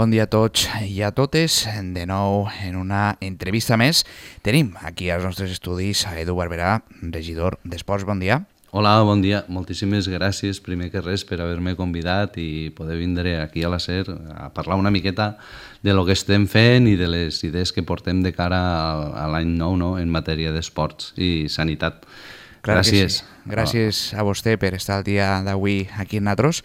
Bon dia a tots i a totes. De nou, en una entrevista més, tenim aquí als nostres estudis a Edu Barberà, regidor d'Esports. Bon dia. Hola, bon dia. Moltíssimes gràcies, primer que res, per haver-me convidat i poder vindre aquí a la SER a parlar una miqueta de lo que estem fent i de les idees que portem de cara a l'any nou, no?, en matèria d'esports i sanitat. Clar Gràcies. Sí. Gràcies a vostè per estar el dia d'avui aquí amb nosaltres.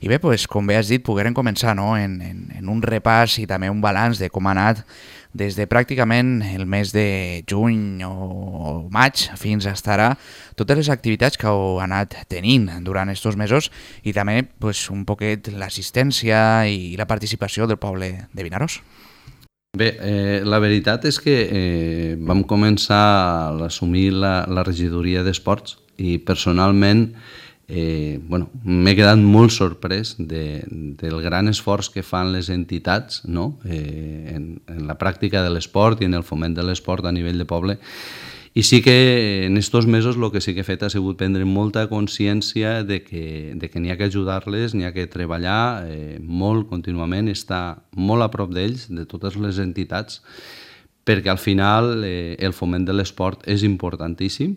I bé, pues, com bé has dit, poguérem començar, no?, en un repàs i també un balanç de com ha anat des de pràcticament el mes de juny o maig fins a ara, totes les activitats que heu anat tenint durant aquests mesos i també pues, un poquet l'assistència i la participació del poble de Vinaròs. Bé, la veritat és que vam començar a assumir la regidoria d'esports i personalment m'he quedat molt sorprès del gran esforç que fan les entitats, no?, en la pràctica de l'esport i en el foment de l'esport a nivell de poble. I sí que en aquests mesos el que sí que he fet ha sigut prendre molta consciència de que n'hi ha que ajudar-les, n'hi ha que treballar molt contínuament, estar molt a prop d'ells, de totes les entitats, perquè al final el foment de l'esport és importantíssim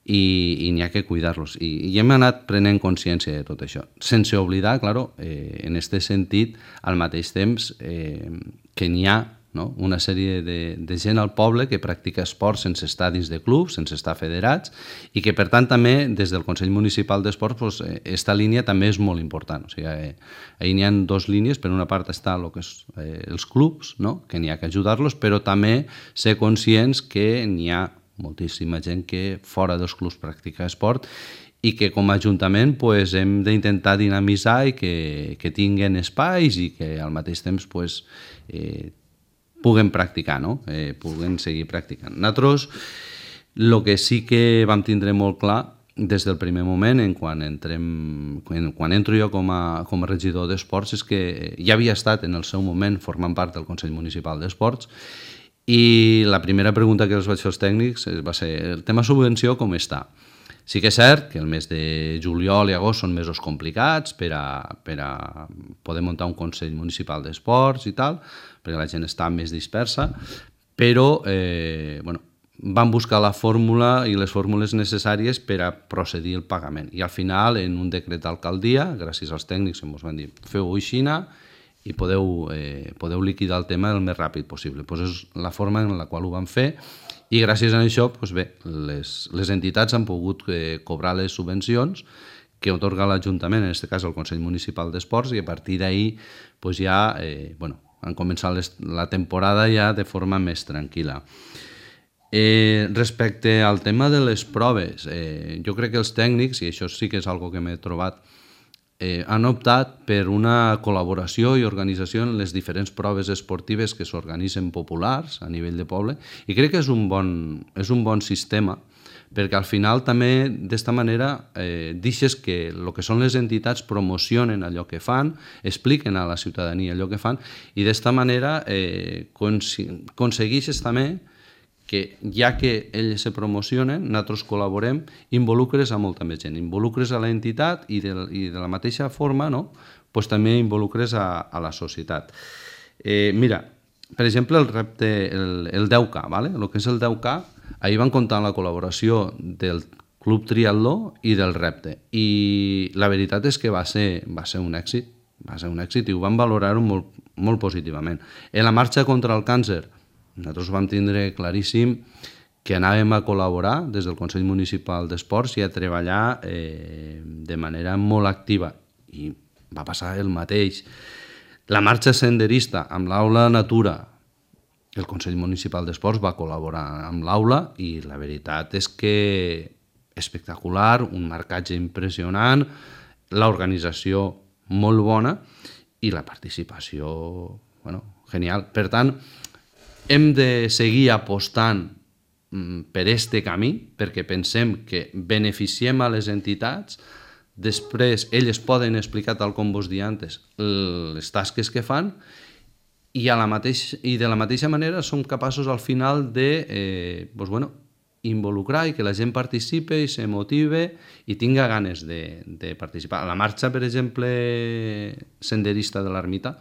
i n'hi ha que cuidar-los. I hem anat prenent consciència de tot això, sense oblidar, claro, en aquest sentit, al mateix temps que n'hi ha, no?, una sèrie de gent al poble que practica esport sense estar dins de clubs, sense estar federats, i que per tant també des del Consell Municipal d'Esports aquesta línia també és molt important. O sigui, ahir n'hi ha dues línies, per una part està el que és els clubs, no?, que n'hi ha que ajudar-los, però també ser conscients que n'hi ha moltíssima gent que fora dels clubs practica esport i que com a Ajuntament hem d'intentar dinamitzar i que tinguen espais i que al mateix temps puguen practicar, no?, puguen seguir practicant. Nosaltres el que sí que vam tindre molt clar des del primer moment, quan entro jo com a regidor d'esports, és que ja havia estat en el seu moment formant part del Consell Municipal d'Esports i la primera pregunta que els vaig fer als tècnics va ser: el tema subvenció com està? Sí que és cert que el mes de juliol i agost són mesos complicats per a poder muntar un Consell Municipal d'Esports i tal, perquè la gent està més dispersa, però van buscar la fórmula i les fórmules necessàries per a procedir el pagament. I al final, en un decret d'alcaldia, gràcies als tècnics ens van dir: feu-ho així i podeu liquidar el tema el més ràpid possible. És la forma en la qual ho van fer i gràcies a això les entitats han pogut cobrar les subvencions que atorga l'Ajuntament, en aquest cas el Consell Municipal d'Esports, i a partir d'ahir ja han començat la temporada ja de forma més tranquil·la. Respecte al tema de les proves, jo crec que els tècnics, i això sí que és una que m'he trobat, han optat per una col·laboració i organització en les diferents proves esportives que s'organitzen populars a nivell de poble, i crec que és un bon sistema, perquè al final també d'esta manera deixes que el que són les entitats promocionen allò que fan, expliquen a la ciutadania allò que fan, i d'esta manera aconsegueixes també que ja que ells se promocionen, nosaltres col·laborem, involucres a molta més gent, involucres a l'entitat i de la mateixa forma, no?, també involucres a la societat. Mira, per exemple, el repte, el 10K, el que és el 10K, ahir van comptar amb la col·laboració del Club Triatló i del repte, i la veritat és que va ser un èxit, i ho van valorar molt, molt positivament. En la marxa contra el càncer, nosaltres vam tindre claríssim que anàvem a col·laborar des del Consell Municipal d'Esports i a treballar de manera molt activa, i va passar el mateix. La marxa senderista amb l'Aula Natura, el Consell Municipal d'Esports va col·laborar amb l'Aula i la veritat és que espectacular, un marcatge impressionant, l'organització molt bona i la participació, genial. Per tant, hem de seguir apostant per aquest camí perquè pensem que beneficiem a les entitats, després elles poden explicar, tal com vos deia antes, les tasques que fan i de la mateixa manera som capaços al final de involucrar i que la gent participe i se motive i tinga ganes de participar. A la marxa, per exemple, senderista de l'Ermita,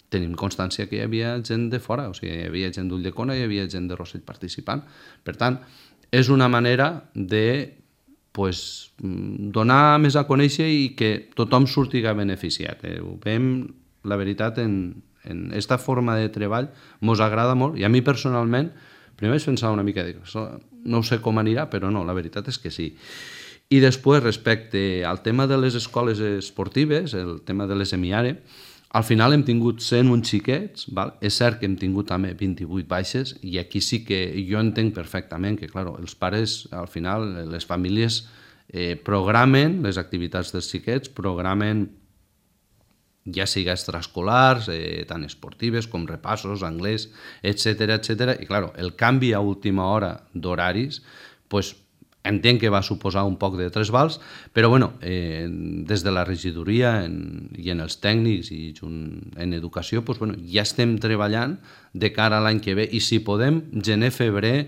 tenim constància que hi havia gent de fora, o sigui, hi havia gent d'Ulldecona i hi havia gent de Rossell participant. Per tant, és una manera de donar més a conèixer i que tothom surtiga beneficiat. Ho veiem, la veritat, en aquesta forma de treball mos agrada molt, i a mi personalment primer vaig pensar una mica, no sé com anirà, però no, la veritat és que sí. I després, respecte al tema de les escoles esportives, el tema de les EMIARE, al final hem tingut 101 xiquets, val? És cert que hem tingut també 28 baixes, i aquí sí que jo entenc perfectament que, clar, els pares, al final, les famílies programen les activitats dels xiquets, programen ja sigui extraescolars, tant esportives com repassos, anglès, etc. I, clar, el canvi a última hora d'horaris, entenc que va suposar un poc de tresbals, però, des de la regidoria i en els tècnics i en educació, ja estem treballant de cara a l'any que ve, i si podem, gener, febrer,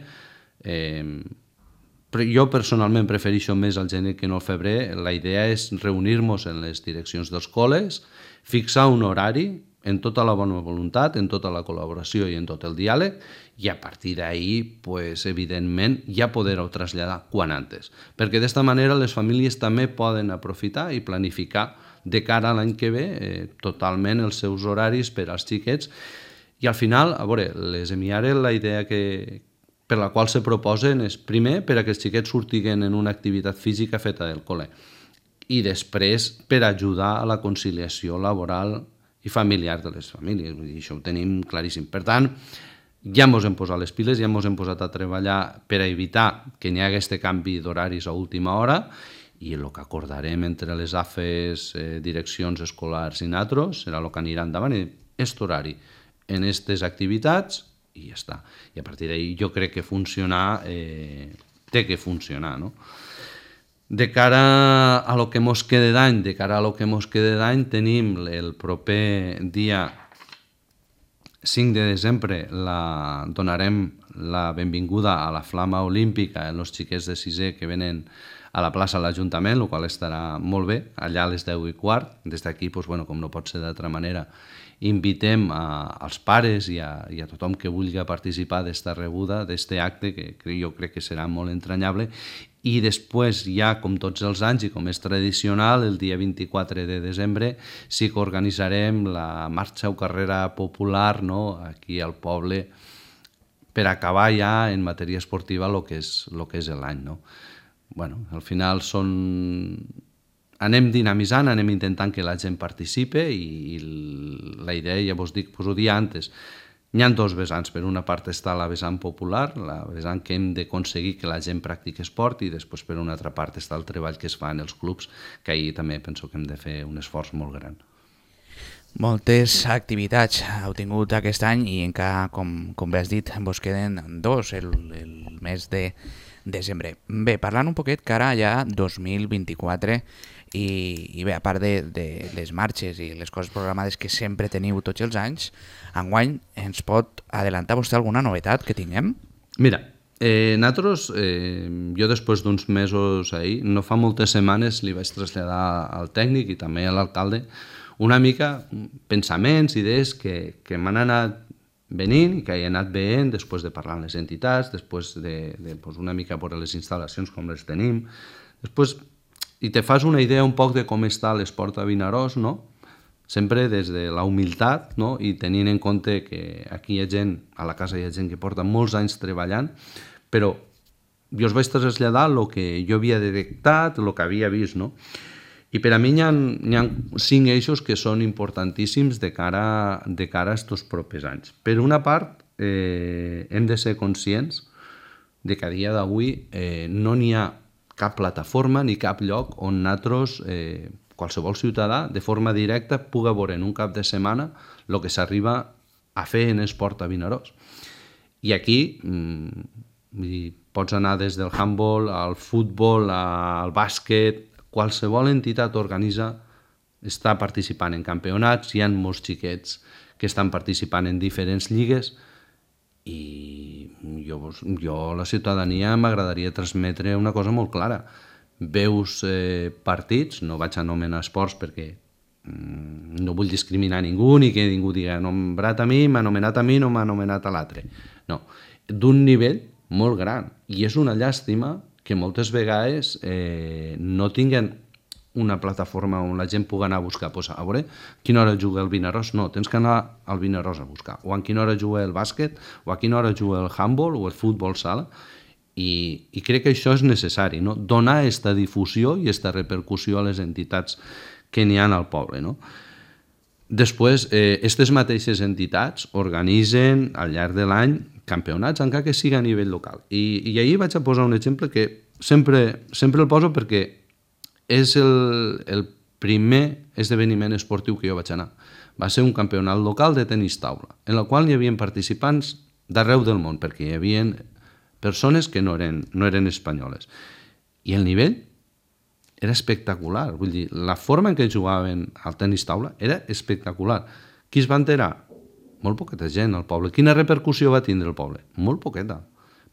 jo personalment prefereixo més el gener que no el febrer. La idea és reunir-nos en les direccions dels col·les, fixar un horari en tota la bona voluntat, en tota la col·laboració i en tot el diàleg, i a partir d'ahir, evidentment, ja poder-ho traslladar quan antes. Perquè d'esta manera les famílies també poden aprofitar i planificar de cara a l'any que ve totalment els seus horaris per als xiquets. I al final, a veure, les EMIARE, la idea per la qual se proposen és, primer, per a que els xiquets surtiguen en una activitat física feta del col·le, i després per ajudar a la conciliació laboral i familiar de les famílies. Vull dir, això ho tenim claríssim. Per tant, ja ens hem posat les piles, ja ens hem posat a treballar per a evitar que n'hi hagi aquest canvi d'horaris a última hora, i el que acordarem entre les AFES, direccions escolars i nosaltres, serà el que anirà endavant, aquest horari en aquestes activitats, i ja està. I a partir d'ahir jo crec que funcionar té que funcionar, no? De cara a lo que mos quede d'any, tenim el proper dia 5 de desembre, donarem la benvinguda a la Flama Olímpica als xiquets de sisè que venen a la plaça de l'Ajuntament, el qual estarà molt bé, allà a les 10:15. Des d'aquí, com no pot ser d'altra manera, invitem als pares i a tothom que vulgui participar d'esta rebuda, d'este acte, que jo crec que serà molt entranyable. I després, ja com tots els anys i com és tradicional, el dia 24 de desembre sí que organitzarem la marxa o carrera popular aquí al poble per acabar ja en matèria esportiva el que és l'any. Al final anem dinamitzant, anem intentant que la gent participe, i la idea, ja vos dic, ho dia antes, hi ha dos vessants. Per una part està la vessant popular, la vessant que hem d'aconseguir que la gent practiqui esport, i després per una altra part està el treball que es fa en els clubs, que ahir també penso que hem de fer un esforç molt gran. Moltes activitats heu tingut aquest any, i encara, com bé has dit, vos queden dos el mes de desembre. Bé, parlant un poquet cara ja 2024, i bé, a part de les marxes i les coses programades que sempre teniu tots els anys, enguany ens pot adelantar vostè alguna novetat que tinguem? Mira, nosaltres, jo després d'uns mesos ahir, no fa moltes setmanes li vaig traslladar al tècnic i també a l'alcalde una mica pensaments, idees que m'han anat venint i que he anat veient després de parlar amb les entitats, després de una mica veure les instal·lacions com les tenim, després, i te fas una idea un poc de com està l'esport a Vinaròs, sempre des de la humilitat, i tenint en compte que aquí hi ha gent, a la casa hi ha gent que porta molts anys treballant, però jo us vaig traslladar el que jo havia detectat, el que havia vist, I per a mi hi ha 5 eixos que són importantíssims de cara a aquests propers anys. Per una part, hem de ser conscients de que a dia d'avui no n'hi ha cap plataforma ni cap lloc on nosaltres, qualsevol ciutadà, de forma directa, pugui veure en un cap de setmana el que s'arriba a fer en esport a Vinaròs. I aquí pots anar des del handball al futbol, al bàsquet. Qualsevol entitat està participant en campionats, hi ha molts xiquets que estan participant en diferents lligues, i jo a la ciutadania m'agradaria transmetre una cosa molt clara. Veus partits, no vaig anomenar esports perquè no vull discriminar ningú ni que ningú diga nombrat a mi, m'ha anomenat a mi, no m'ha anomenat a l'altre. No, d'un nivell molt gran. I és una llàstima que moltes vegades no tinguen una plataforma on la gent pugui anar a buscar. Pues, a veure, a quina hora juga el Vinaròs? No, tens que anar al Vinaròs a buscar. O a quina hora juga el bàsquet, o a quina hora juga el handball o el futbol sala. I crec que això és necessari, no? Donar aquesta difusió i aquesta repercussió a les entitats que n'hi ha al poble. No? Després, aquestes mateixes entitats organitzen al llarg de l'any campionats, encara que sigui a nivell local. I ahir vaig a posar un exemple que sempre el poso perquè és el primer esdeveniment esportiu que jo vaig anar. Va ser un campionat local de tenis taula, en el qual hi havia participants d'arreu del món, perquè hi havia persones que no eren espanyoles. I el nivell era espectacular. Vull dir, la forma en què jugaven al tenis taula era espectacular. Qui es va enterar? Molt poqueta gent al poble. Quina repercussió va tindre el poble? Molt poqueta.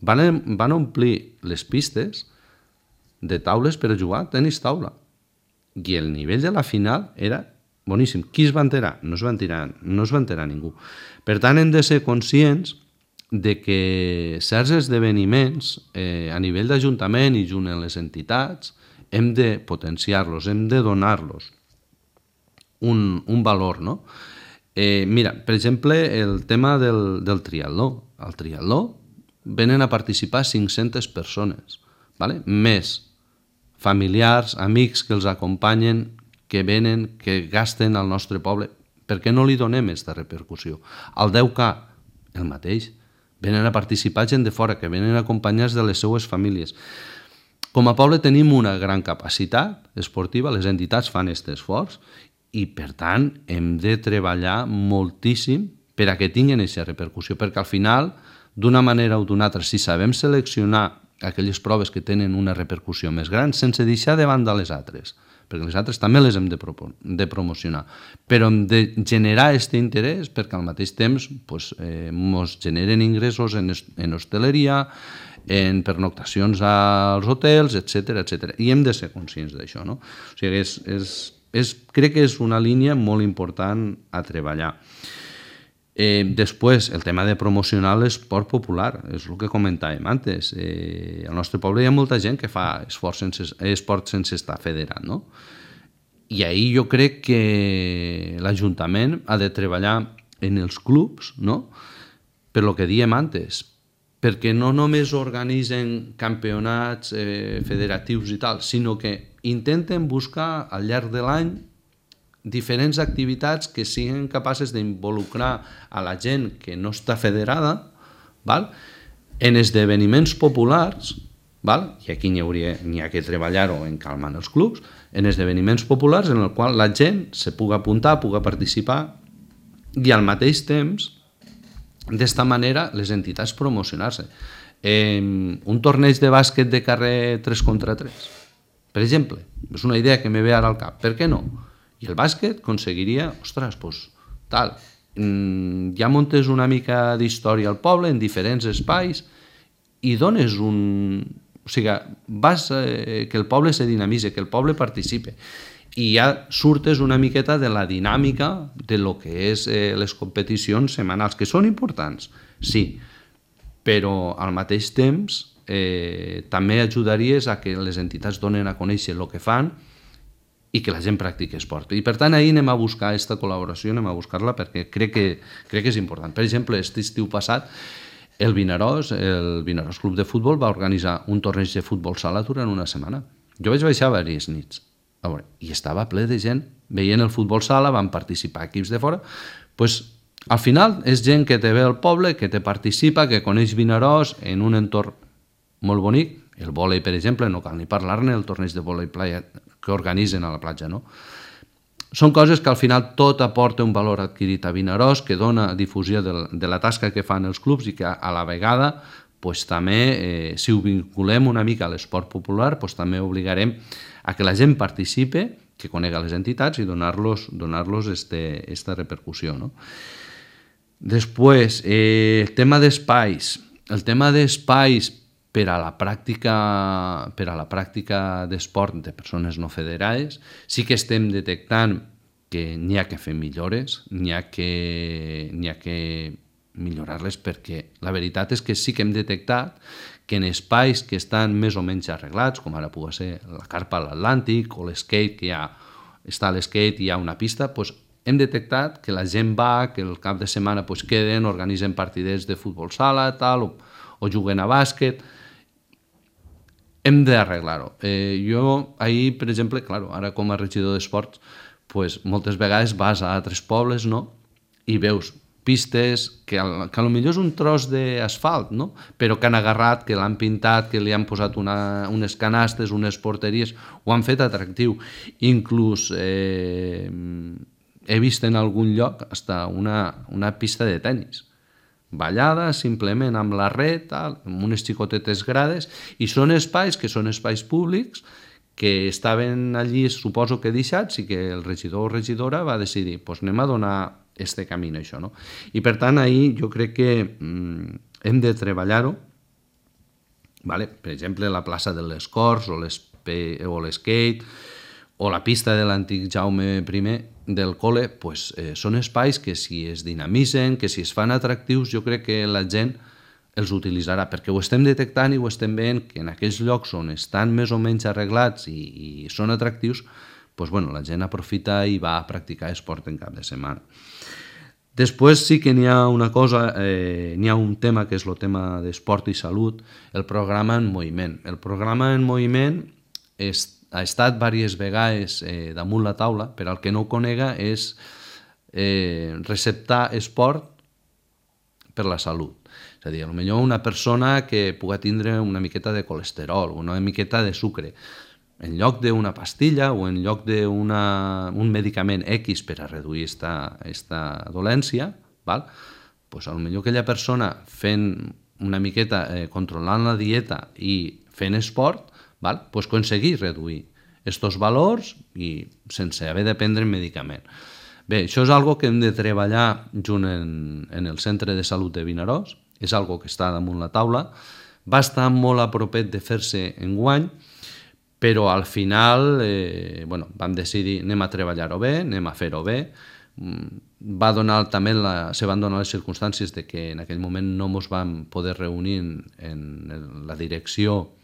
Van omplir les pistes de taules per a jugar a tenis taula. I el nivell de la final era boníssim. Qui es va enterar? No es va enterar ningú. Per tant, hem de ser conscients de que certs esdeveniments a nivell d'Ajuntament i junt amb les entitats hem de potenciar-los, hem de donar-los un valor, no? Mira, per exemple, el tema del triatló. Al triatló venen a participar 500 persones, ¿vale? Més familiars, amics que els acompanyen, que venen, que gasten al nostre poble. Per què no li donem aquesta repercussió? Al 10K, el mateix. Venen a participar gent de fora, que venen acompanyats de les seues famílies. Com a poble tenim una gran capacitat esportiva, les entitats fan aquest esforç i, per tant, hem de treballar moltíssim per a que tinguin aquesta repercussió, perquè al final, d'una manera o d'una altra, si sabem seleccionar aquelles proves que tenen una repercussió més gran, sense deixar de banda les altres, perquè les altres també les hem de promocionar, però hem de generar aquest interès perquè al mateix temps ens generen ingressos en hostaleria, en pernoctacions als hotels, etc. I hem de ser conscients d'això. No? O sigui, crec que és una línia molt important a treballar. Després, el tema de promocionar l'esport popular, és el que comentàvem antes. Al nostre poble hi ha molta gent que fa esport sense estar federat, no? I ahir jo crec que l'Ajuntament ha de treballar en els clubs, no? Per lo que diem antes, perquè no només organitzen campionats federatius i tal, sinó que intenten buscar al llarg de l'any diferents activitats que siguin capaces d'involucrar a la gent que no està federada, val? En esdeveniments populars, val? I aquí n'hi ha que treballar-ho en calmar els clubs, en esdeveniments populars en el qual la gent se pugui apuntar, pugui participar i al mateix temps, d'esta manera, les entitats promocionar-se. Un torneig de bàsquet de carrer 3 contra 3, per exemple, és una idea que me ve ara al cap, per què no? I el bàsquet aconseguiria, ostres, doncs, tal, ja muntes una mica d'història al poble en diferents espais i dones o sigui, que el poble se dinamitzi, que el poble participe i ja surtes una miqueta de la dinàmica de lo que és les competicions setmanals, que són importants, sí, però al mateix temps també ajudaries a que les entitats donen a conèixer el que fan i que la gent practiqui esport. I per tant, ahir anem a buscar aquesta col·laboració, anem a buscar-la perquè crec que és important. Per exemple, aquest estiu passat, el Vinaròs Club de Futbol va organitzar un torneig de futbol sala durant una setmana. Jo vaig baixar diverses nits i estava ple de gent veient el futbol sala, van participar equips de fora. Al final és gent que te ve al poble, que te participa, que coneix Vinaròs en un entorn molt bonic. El vòlei, per exemple, no cal ni parlar-ne, el torneig de vòlei playa que organitzen a la platja, no? Són coses que al final tot aporta un valor adquirit a Vinaròs, que dona difusió de la tasca que fan els clubs i que a la vegada també, si ho vinculem una mica a l'esport popular, també obligarem a que la gent participe, que conega les entitats i donar-los aquesta repercussió. No? Després, el tema d'espais. El tema d'espais per a la pràctica d'esport de persones no federades, sí que estem detectant que n'hi ha que fer millores, n'hi ha que millorar-les, perquè la veritat és que sí que hem detectat que en espais que estan més o menys arreglats, com ara pugui ser la carpa a l'Atlàntic o l'skate, que està a l'skate i hi ha una pista, doncs hem detectat que la gent va, que el cap de setmana queden, organitzen partidets de futbol sala, tal, o juguen a bàsquet. Hem d'arreglar-ho. Jo ahir, per exemple, ara com a regidor d'esports, moltes vegades vas a altres pobles, no?, i veus pistes que potser és un tros d'asfalt, no?, però que han agarrat, que l'han pintat, que li han posat unes canastes, unes porteries, ho han fet atractiu. Inclús he vist en algun lloc hasta una pista de tennis, ballada simplement amb la red, amb unes xicotetes grades, i són espais que són espais públics que estaven allí, suposo que deixats, i que el regidor o regidora va decidir, anem a donar este camí a això, no? I per tant, ahir jo crec que hem de treballar-ho, per exemple, la plaça de les Corts o l'skate o la pista de l'antic Jaume I del col·le, són espais que si es dinamitzen, que si es fan atractius, jo crec que la gent els utilitzarà, perquè ho estem detectant i ho estem veient que en aquells llocs on estan més o menys arreglats i són atractius, la gent aprofita i va a practicar esport en cap de setmana. Després sí que n'hi ha una cosa, n'hi ha un tema que és el tema d'esport i salut, el programa en moviment. El programa en moviment ha estat diverses vegades damunt la taula, per al que no ho conega és receptar esport per la salut. És a dir, potser una persona que pugui tindre una miqueta de colesterol, una miqueta de sucre, en lloc d'una pastilla o en lloc d'un medicament X per a reduir aquesta dolència, potser aquella persona fent una miqueta, controlant la dieta i fent esport, aconseguir reduir aquests valors i sense haver de prendre medicament. Bé, això és una cosa que hem de treballar junt en el Centre de Salut de Vinaròs, és una cosa que està damunt la taula, va estar molt a propet de fer-se enguany, però al final vam decidir anem a treballar-ho bé, anem a fer-ho bé. Se van donar les circumstàncies de que en aquell moment no ens vam poder reunir en la direcció,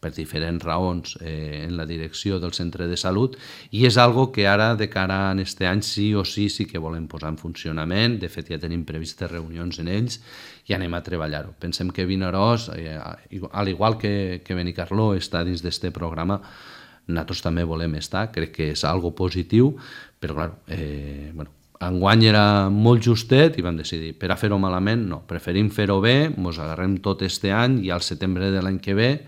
per diferents raons, en la direcció del centre de salut, i és algo que ara, de cara a aquest any, sí o sí que volem posar en funcionament. De fet, ja tenim previstes reunions en ells i anem a treballar-ho. Pensem que Vinaròs, al igual que Benicarló està dins d'aquest programa, nosaltres també volem estar. Crec que és algo positiu, però clar, enguany era molt justet i vam decidir, per a fer-ho malament, no, preferim fer-ho bé, ens agarrem tot aquest any i al setembre de l'any que ve,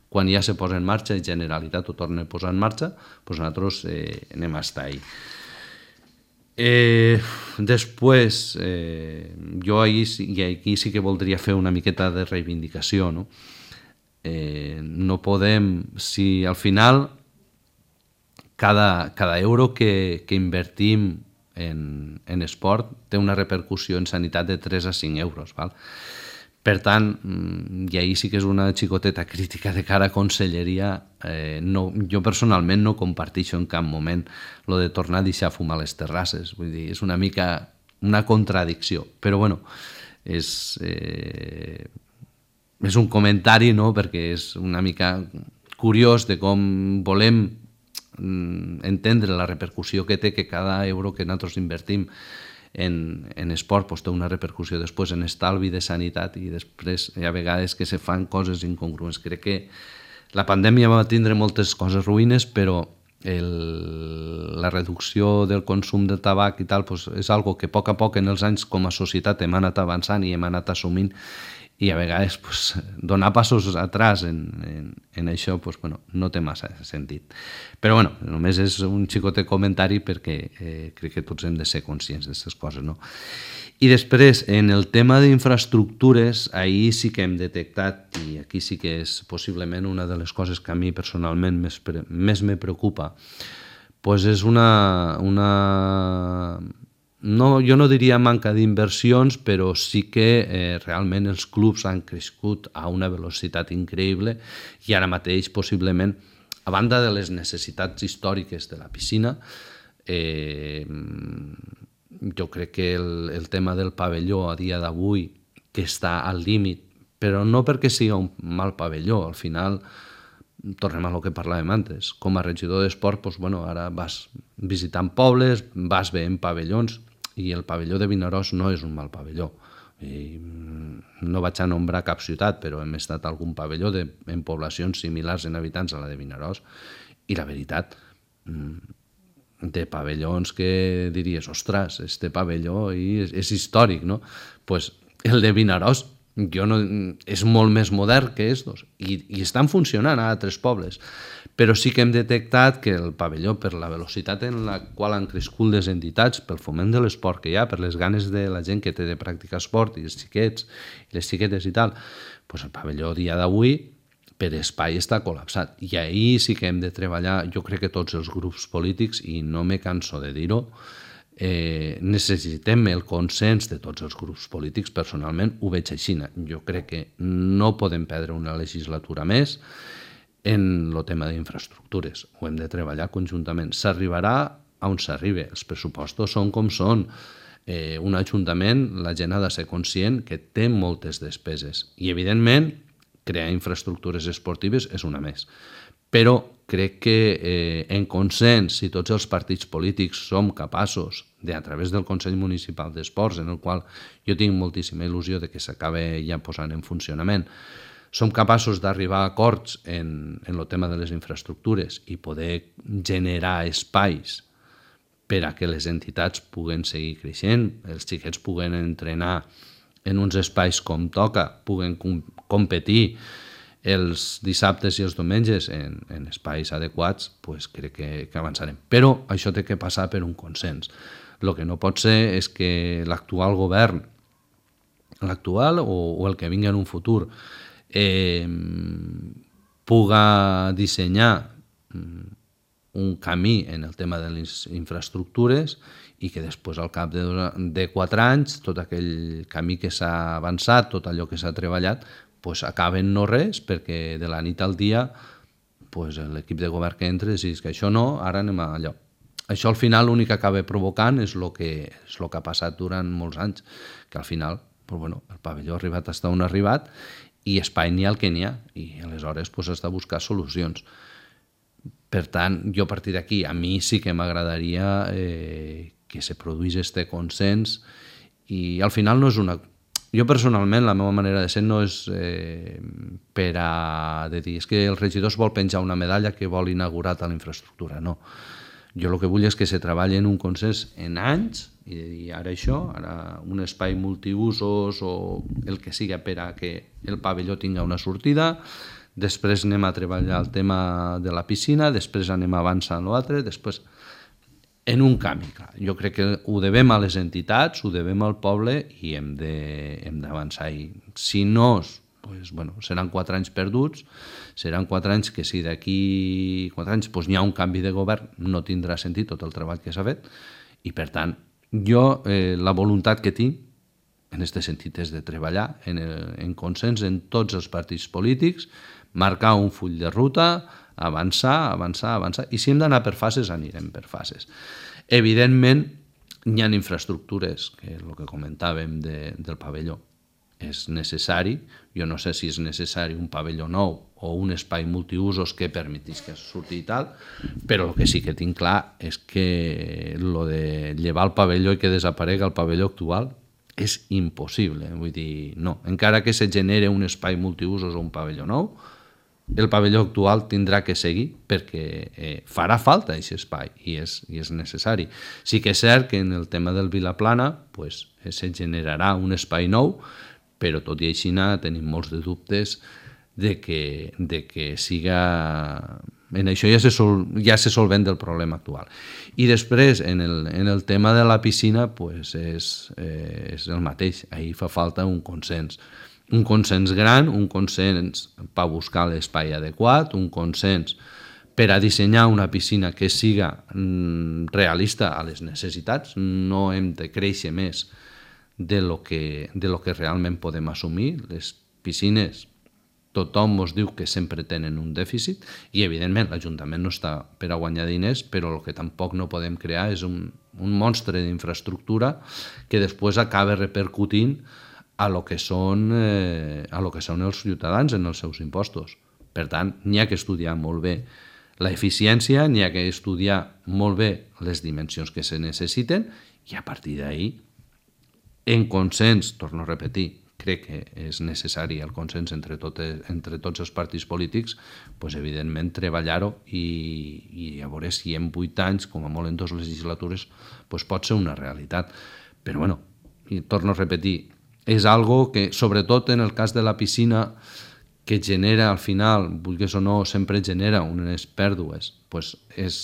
quan ja se posa en marxa i Generalitat ho torna a posar en marxa, nosaltres anem a estar ahí. Després, jo aquí sí que voldria fer una miqueta de reivindicació, no? No podem, si al final cada euro que invertim en esport té una repercussió en sanitat de 3 a 5 euros, val? Per tant, i ahir sí que és una xicoteta crítica de cara a conselleria, jo personalment no comparteixo en cap moment lo de tornar a deixar fumar a les terrasses. Vull dir, és una mica una contradicció. Però bueno, és un comentari, no?, perquè és una mica curiós de com volem entendre la repercussió que té que cada euro que nosaltres invertim en esport té una repercussió després en estalvi de sanitat, i després hi ha vegades que se fan coses incongruents. Crec que la pandèmia va tindre moltes coses ruïnes, però la reducció del consum de tabac i tal és algo que a poc en els anys com a societat hem anat avançant i hem anat assumint, i a vegades donar passos atrás en això no té massa sentit. Però només és un xicotet comentari perquè crec que tots hem de ser conscients d'aquestes coses, no? I després, en el tema d'infraestructures, ahir sí que hem detectat, i aquí sí que és possiblement una de les coses que a mi personalment més me preocupa, és jo no diria manca d'inversions, però sí que realment els clubs han crescut a una velocitat increïble i ara mateix, possiblement, a banda de les necessitats històriques de la piscina, Jo crec que el tema del pavelló a dia d'avui, que està al límit, però no perquè sigui un mal pavelló, al final tornem a lo que parlàvem antes, com a regidor d'esport, doncs, bueno, ara vas visitant pobles, vas veient pavellons, i el pavelló de Vinaròs no és un mal pavelló. I no vaig a nombrar cap ciutat, però hem estat a algun pavelló en poblacions similars en habitants a la de Vinaròs, i la veritat, de pavellons que diries, ostres, este pavelló és històric, no? Pues el de Vinaròs és molt més modern que estos i estan funcionant a altres pobles, però sí que hem detectat que el pavelló, per la velocitat en la qual han crescut les entitats, pel foment de l'esport que hi ha, per les ganes de la gent que té de practicar esport i els xiquets i les xiquetes i tal, pues el pavelló dia d'avui per espai està col·lapsat. I ahir sí que hem de treballar, jo crec que tots els grups polítics, i no me canso de dir-ho, necessitem el consens de tots els grups polítics. Personalment ho veig així. Jo crec que no podem perdre una legislatura més en el tema d'infraestructures. Ho hem de treballar conjuntament. S'arribarà on s'arribi. Els pressupostos són com són. Un ajuntament, la gent ha de ser conscient que té moltes despeses. I, evidentment, crear infraestructures esportives és una més. Però crec que en consens, si tots els partits polítics som capaços de, a través del Consell Municipal d'Esports, en el qual jo tinc moltíssima il·lusió de que s'acabi ja posant en funcionament, som capaços d'arribar a acords en el tema de les infraestructures i poder generar espais per a que les entitats puguen seguir creixent, els xiquets puguen entrenar en uns espais com toca, puguen competir els dissabtes i els diumenges en espais adequats, pues crec que avançarem. Però això té que passar per un consens. El que no pot ser és que l'actual govern, l'actual o el que vingui en un futur, puga dissenyar un camí en el tema de les infraestructures i que després, al cap de 4 anys, tot aquell camí que s'ha avançat, tot allò que s'ha treballat, pues acaben no res, perquè de la nit al dia pues l'equip de govern que entra dius que això no, ara anem a allò. Això al final l'únic que acaba provocant és el que ha passat durant molts anys, que al final pues, bueno, el pavelló ha arribat fins on ha arribat i espai n'hi ha el que n'hi ha, i aleshores pues, has de buscar solucions. Per tant, jo a partir d'aquí, a mi sí que m'agradaria que se produís este consens i al final no és una... Jo personalment, la meva manera de ser no és per a dir és que el regidor es vol penjar una medalla que vol inaugurar tal infraestructura, no. Jo el que vull és que se treballi en un consens en anys i de dir ara això, ara un espai multiusos o el que siga per a que el pavelló tinga una sortida, després anem a treballar el tema de la piscina, després anem a avançar en l'altre, després en un canvi, clar. Jo crec que ho devem a les entitats, ho devem al poble i hem d'avançar. I si no, pues, bueno, seran 4 anys perduts, seran 4 anys que si d'aquí 4 anys pues, n'hi ha un canvi de govern, no tindrà sentit tot el treball que s'ha fet. I per tant, jo la voluntat que tinc en aquest sentit és de treballar en consens en tots els partits polítics, marcar un full de ruta, avançar, i si hem d'anar per fases, anirem per fases. Evidentment, hi ha infraestructures, que és el que comentàvem del pavelló. És necessari, jo no sé si és necessari un pavelló nou o un espai multiusos que permetís que surti i tal, però el que sí que tinc clar és que lo de llevar el pavelló i que desaparega el pavelló actual és impossible. Vull dir, no. Encara que se genere un espai multiusos o un pavelló nou, el pavelló actual tindrà que seguir perquè farà falta aquest espai i és necessari. Sí que és cert que en el tema del Vilaplana pues, se generarà un espai nou, però tot i així tenim molts de dubtes de que siga... En això ja se solvent del problema actual. I després, en el tema de la piscina, pues és el mateix. Ahir fa falta un consens. Un consens gran, un consens per buscar l'espai adequat, un consens per a dissenyar una piscina que siga realista a les necessitats. No hem de créixer més de lo que realment podem assumir. Les piscines tothom ens diu que sempre tenen un dèficit i, evidentment, l'Ajuntament no està per a guanyar diners, però el que tampoc no podem crear és un monstre d'infraestructura que després acaba repercutint a lo que són els ciutadans en els seus impostos. Per tant, n'hi ha que estudiar molt bé l'eficiència, n'hi ha que estudiar molt bé les dimensions que se necessiten i a partir d'ahir, en consens, torno a repetir, crec que és necessari el consens entre tots els partits polítics, doncs, evidentment, treballar-ho i a veure si en 8 anys, com a molt en 2 legislatures, doncs pot ser una realitat. Però, bueno, i torno a repetir, és algo que, sobretot en el cas de la piscina, que genera al final, vulguis o no, sempre genera unes pèrdues, doncs és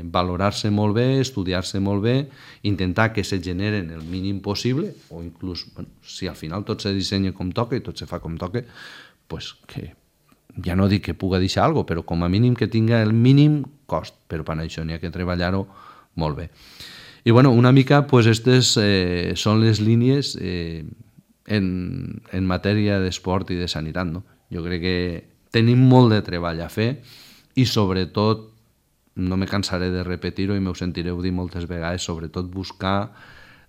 valorar-se molt bé, estudiar-se molt bé, intentar que se generen el mínim possible, o inclús, bueno, si al final tot se dissenya com toca i tot se fa com toca, doncs que ja no dic que puga deixar alguna cosa, però com a mínim que tinga el mínim cost, però per això n'hi ha que treballar-ho molt bé. I bueno, una mica, doncs, aquestes són les línies en matèria d'esport i de sanitat, no? Jo crec que tenim molt de treball a fer i sobretot, no me cansaré de repetir-ho i m'ho sentireu dir moltes vegades, sobretot buscar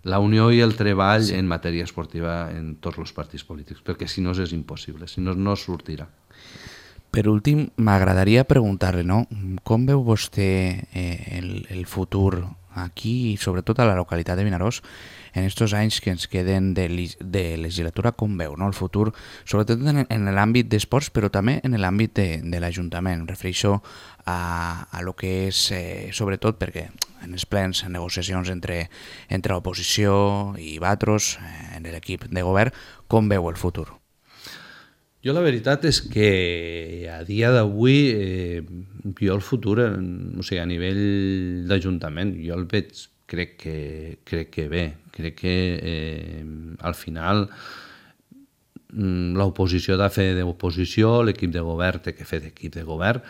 la unió i el treball en matèria esportiva en tots els partits polítics, perquè si no és impossible, si no, no sortirà. Per últim, m'agradaria preguntar-li, no? Com veu vostè el futur aquí i sobretot a la localitat de Vinaròs en aquests anys que ens queden de legislatura, com veu, no? El futur, sobretot en l'àmbit d'esports, però també en l'àmbit de l'Ajuntament. Em refereixo a lo que és, sobretot perquè en els plens, en negociacions entre l'oposició i vosaltres, en l'equip de govern, com veu el futur? Jo la veritat és que a dia d'avui jo el futur, o sigui, a nivell d'Ajuntament, jo el veig, crec que bé. Crec que al final l'oposició ha de fer d'oposició, l'equip de govern té que fer d'equip de govern,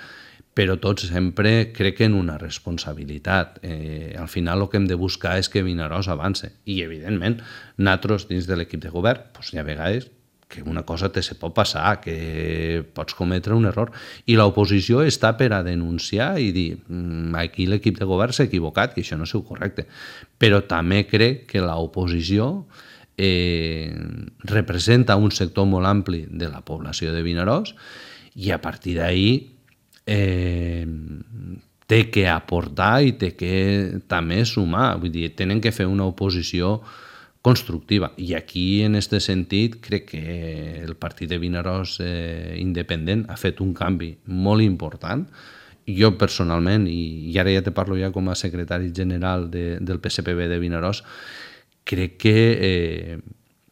però tots sempre crec que en una responsabilitat. Al final el que hem de buscar és que Vinaròs avance. I, evidentment, nosaltres dins de l'equip de govern, doncs hi ha vegades que una cosa se pot passar, que pots cometre un error. I l'oposició està per a denunciar i dir aquí l'equip de govern s'ha equivocat, que això no és correcte. Però també crec que l'oposició representa un sector molt ampli de la població de Vinaròs i a partir d'ahir té que aportar i té que també sumar. Vull dir, tenen que fer una oposició constructiva. I aquí, en aquest sentit, crec que el partit de Vinaròs independent ha fet un canvi molt important. Jo, personalment, i ara ja te parlo ja com a secretari general del PSPB de Vinaròs, crec que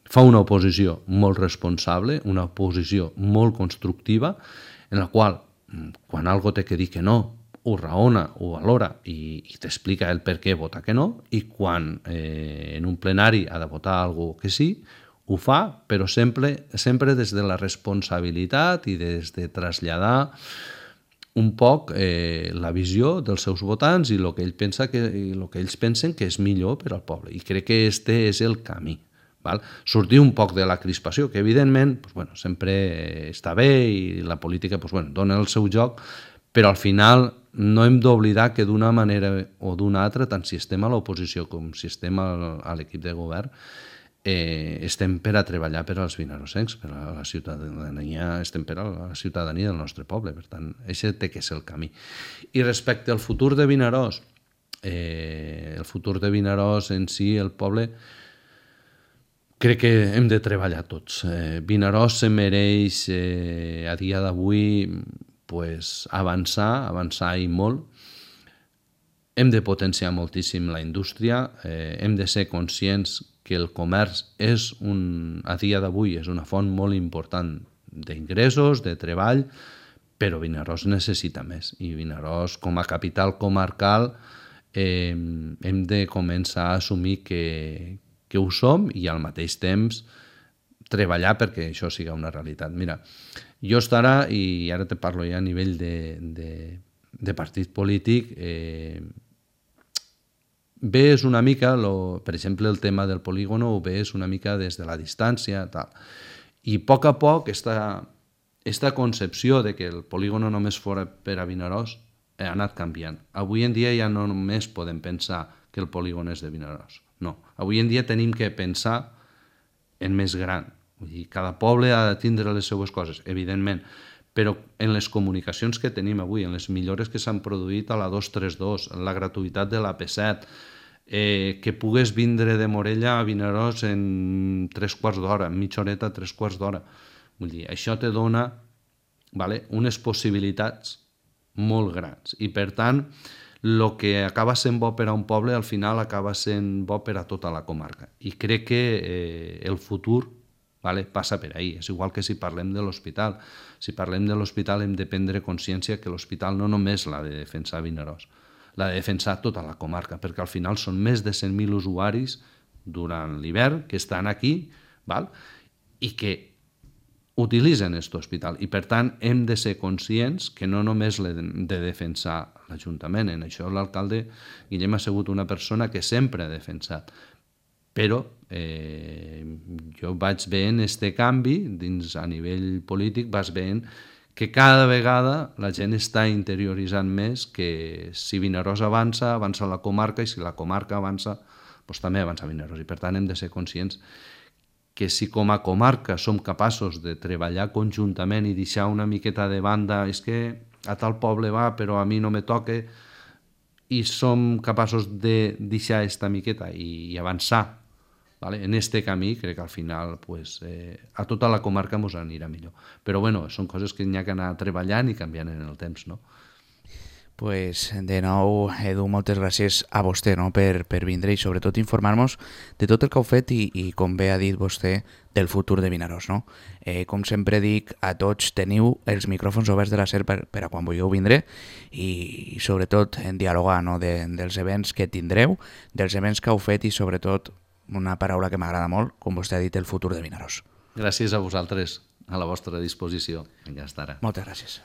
fa una oposició molt responsable, una oposició molt constructiva, en la qual, quan algú té que dir que no, ho raona, ho valora i t'explica el per què vota que no, i quan en un plenari ha de votar algú que sí, ho fa, però sempre des de la responsabilitat i des de traslladar un poc la visió dels seus votants i el que ells pensen que és millor per al poble. I crec que este és el camí. Sortir un poc de la crispació, que evidentment sempre està bé i la política dona el seu joc, però al final no hem d'oblidar que d'una manera o d'una altra, tant si estem a l'oposició com si estem a l'equip de govern, estem per a treballar per als vinarossencs, per a la ciutadania, estem per a la ciutadania del nostre poble. Per tant, aquest té que ser el camí. I respecte al futur de Vinaròs, el futur de Vinaròs en si, el poble, crec que hem de treballar tots. Vinaròs se mereix a dia d'avui avançar i molt. Hem de potenciar moltíssim la indústria, hem de ser conscients que el comerç a dia d'avui és una font molt important d'ingressos, de treball, però Vinaròs necessita més. I Vinaròs, com a capital comarcal, hem de començar a assumir que ho som i al mateix temps treballar perquè això sigui una realitat. Mira, jo estarà, i ara te parlo ja a nivell de partit polític, ves una mica, per exemple, el tema del polígono, ho ves una mica des de la distància, tal. I a poc està esta concepció de que el polígon només fora per a Vinaròs ha anat canviant. Avui en dia ja no només podem pensar que el polígon és de Vinaròs. No, avui en dia tenim que pensar en més gran. Vull dir, cada poble ha de tindre les seues coses, evidentment, però en les comunicacions que tenim avui, en les millores que s'han produït a la 232, en la gratuïtat de la P7, que pugues vindre de Morella a Vinaròs en 3/4 d'hora, en mitja horeta, 3/4 d'hora. Vull dir, això te dona unes possibilitats molt grans. I, per tant, el que acaba sent bo per a un poble, al final acaba sent bo per a tota la comarca. I crec que el futur passa per ahí. És igual que si parlem de l'hospital. Si parlem de l'hospital hem de prendre consciència que l'hospital no només l'ha de defensar Vinaròs, l'ha de defensar tota la comarca, perquè al final són més de 100.000 usuaris durant l'hivern que estan aquí i que utilitzen aquest hospital. I, per tant, hem de ser conscients que no només l'hem de defensar l'Ajuntament. En això l'alcalde Guillem ha sigut una persona que sempre ha defensat. Però jo vaig veient aquest canvi a nivell polític, vas veient que cada vegada la gent està interioritzant més que si Vinaròs avança, avança la comarca, i si la comarca avança, doncs també avança Vinaròs. I per tant hem de ser conscients que si com a comarca som capaços de treballar conjuntament i deixar una miqueta de banda, és que a tal poble va però a mi no me toca, i som capaços de deixar aquesta miqueta i avançar en este camí, crec que al final a tota la comarca ens anirà millor. Però bueno, són coses que n'hi ha que anar treballant i canviant en el temps, no? Pues de nou, Edu, moltes gràcies a vostè per vindre i sobretot informar-nos de tot el que heu fet i com bé ha dit vostè, del futur de Vinaròs. Com sempre dic, a tots teniu els micròfons oberts de la SER per a quan vulgueu vindre i sobretot en dialogar dels events que tindreu, dels events que heu fet i sobretot una paraula que m'agrada molt, com vostè ha dit, el futur de Vinaròs. Gràcies a vosaltres, a la vostra disposició. Vinga, hasta ara. Moltes gràcies.